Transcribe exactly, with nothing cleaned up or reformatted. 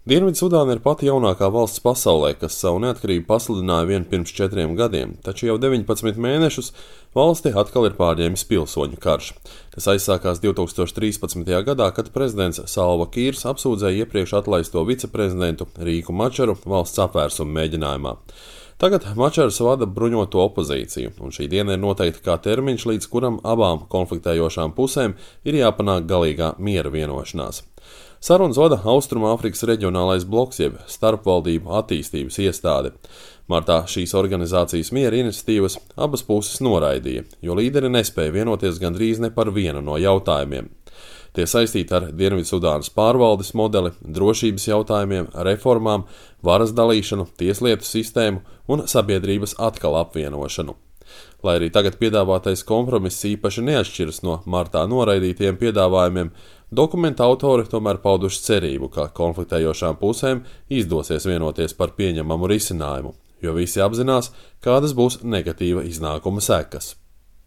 Dienvidsudāna ir pati jaunākā valsts pasaulē, kas savu neatkarību pasludināja vien pirms četriem gadiem, taču jau deviņpadsmit mēnešus valsti atkal ir pārņēmis pilsoņu karš. Tas aizsākās divtūkstoš trīspadsmitajā gadā, kad prezidents Salva Kīrs apsūdzēja iepriekš atlaisto viceprezidentu Rīku Mačaru valsts apvērsuma mēģinājumā. Tagad Mačars vada bruņoto opozīciju, un šī diena ir noteikta kā termiņš, līdz kuram abām konfliktējošām pusēm ir jāpanāk galīgā miera vienošanās. Sarunas vada Austrumāfrikas reģionālais bloks, jeb starpvaldību attīstības iestāde. Martā šīs organizācijas miera iniciatīvas abas puses noraidīja, jo līderi nespēja vienoties gandrīz ne par vienu no jautājumiem. Tie saistīti ar Dienvidsudānas pārvaldes modeli, drošības jautājumiem, reformām, varas dalīšanu, tieslietu sistēmu un sabiedrības atkal apvienošanu. Lai arī tagad piedāvātais kompromiss īpaši neatšķiras no martā noraidītiem piedāvājumiem, dokumenta autori tomēr pauduši cerību, ka konfliktējošām pusēm izdosies vienoties par pieņemamu risinājumu, jo visi apzinās, kādas būs negatīva iznākuma sekas.